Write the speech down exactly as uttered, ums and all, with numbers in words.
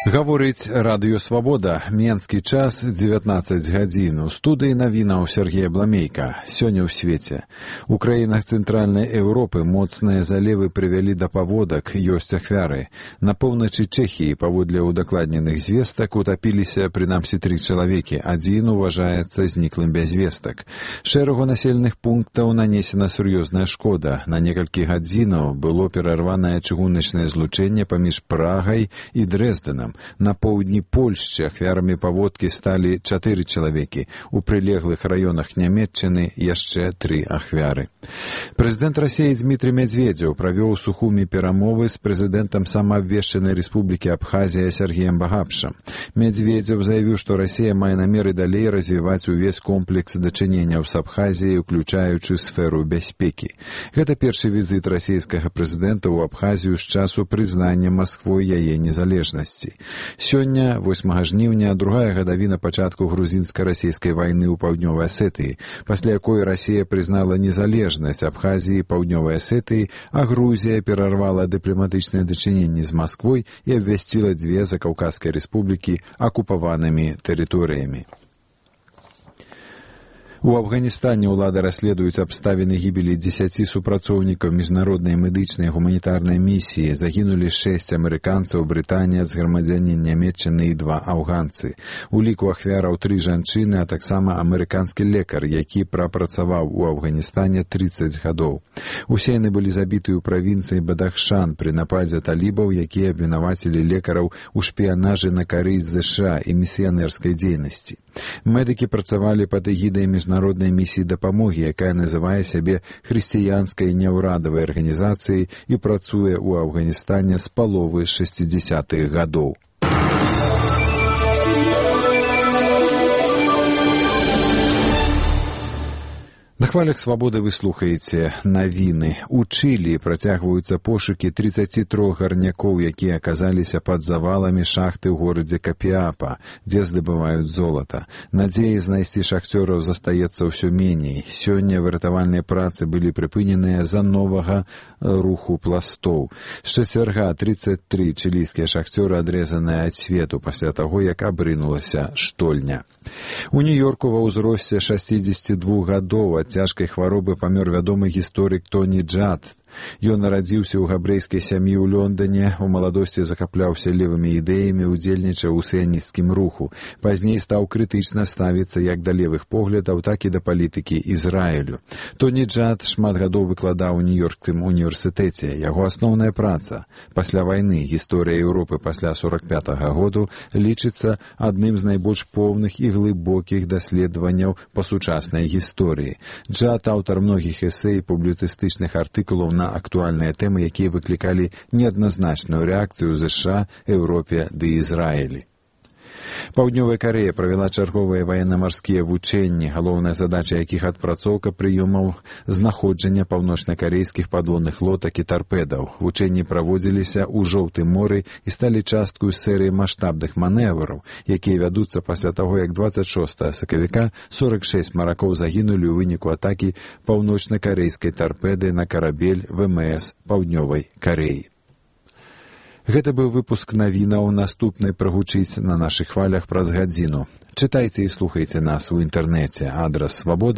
Гаворыць Радыё Свабода. Менскі час дзевятнаццаць гадзін. У студыі навінаў Сергея Бламейка. Сёння ў свеце. У краінах Цэнтральнай Еўропы моцныя залевы прывялі да паводак, ёсць ахвяры. На поўначы Чэхіі, паводле ўдакладненых звестак, утапіліся прынамсі тры чалавекі. Адзін уважаецца зніклым без вестак. Шэрагу населеных пунктаў нанесена сур'ёзная шкода. На некалькі гадзінаў было перарванае чыгуначнае злучэнне паміж Прагай і Дрэздэнам. На поўдні Польшчы ахвярамі паводкі сталі чатыры чалавекі. У прылеглых раёнах Нямецчыны яшчэ тры ахвяры. Прэзідэнт Расіі Дмітрый Медведзеў правёў у Сухуми перамовы з прэзідэнтам самаабвешчанай рэспублікі Абхазія Сергеем Багапшам. Медведзеў заявіў, што Расія мае намеры далей развіваць увесь комплекс дачыненняў з Абхазіяй, уключаючы сферу бяспекі. Гэта першы візіт расійскага прэзідэнта ў Абхазію з часу прызнання Масквой яе незалежнасці. Сёння, восьмага жніўня, другая гадавіна пачатку грузінска-расійскай вайны ў Паўднёвай Асетыі, пасля якой Расія прызнала незалежнасць Абхазіі і Паўднёвай Асетыі, а Грузія перарвала дыпламатычныя дачыненні з Масквой і абвясціла дзве закаўказскія рэспублікі акупаванымі тэрыторыямі. У Афганістане ўлады расследуюць абставіны гібелі дзесяці супрацоўнікаў міжнароднай медычнай гуманітарнай місіі. Загінулі шэсць амерыканцаў, брытанец, грамадзянін Нямецчыны і два афганцы. У ліку ахвяраў тры жанчыны, а таксама амерыканскі лекар, які прапрацаваў у Афганістане трыццаць гадоў. Усе яны былі забіты ў правінцыі Бадахшан пры нападзе талібаў, якія абвінавацілі лекараў у шпіянажы на карысць ЗША і місіянерскай дзейнасці. Медыкі працавалі пад эгідай міжнароднай місіі дапамогі, якая называе сябе хрысціянскай няўрадавай арганізацыяй і працуе ў Афганістане з паловы шэсцідзясятых гадоў. На хвалях свабоды вы слухаеце навіны. У Чылі працягваюцца пошукі трыццаці трох гарнякоў, якія аказаліся пад заваламі шахты ў горадзе Капіапа, дзе здабываюць золата. Надзеі знайсці шахцёраў застаецца ўсё меней. Сёння выратавальныя працы былі прыпыненыя з-за новага руху пластоў. З чацвярга трыццаць тры чылійскія шахцёры адрэзаныя ад свету пасля таго, як абрынулася штольня. У Нью-Йорку ва ўзросце шэсцідзесяці двух гадоў ад цяжкай хваробы памёр вядомы гісторык Тоні Джад. Ён нарадзіўся ў габрэйскай сям'і ў Лондане, у маладосці захапляўся левымі ідэямі, удзельнічаў у сіянісцкім руху. Пазней стаў крытычна ставіцца як да левых поглядаў, так і да палітыкі Ізраілю. Тоні Джад шмат гадоў выкладаў у Нью-Йоркскім універсітэце. Яго асноўная праца пасля вайны «Гісторыя Еўропы пасля сорак пятага году» лічыцца адным з найбольш поўных і глыбокіх даследаванняў па сучаснай гісторыі. Джад аўтар многіх эсэй і публіцыстычных артыкулаў на актуальныя тэмы, якія выклікалі неадназначную рэакцыю ў ЗША, Еўропе ды Ізраілі. Паўднёвая Карэя правяла чарговыя ваенна-марскія вучэнні, галоўная задача якіх адпрацоўка прыёмаў знаходжання паўночна-карэйскіх падводных лодак і тарпедаў. Вучэнні праводзіліся ў Жоўтым моры і сталі часткаю серыі маштабных манэвраў, якія вядуцца пасля таго, як дваццаць шостага сакавіка сорак шэсць маракоў загінулі ў выніку атакі паўночна-карэйскай тарпеды на карабель ВМС Паўднёвай Карэі. Гэта быў выпуск навінаў, наступны прагучыць на нашых хвалях праз гадзіну. Чытайце і слухайце нас у інтэрнэце. Адрас свабода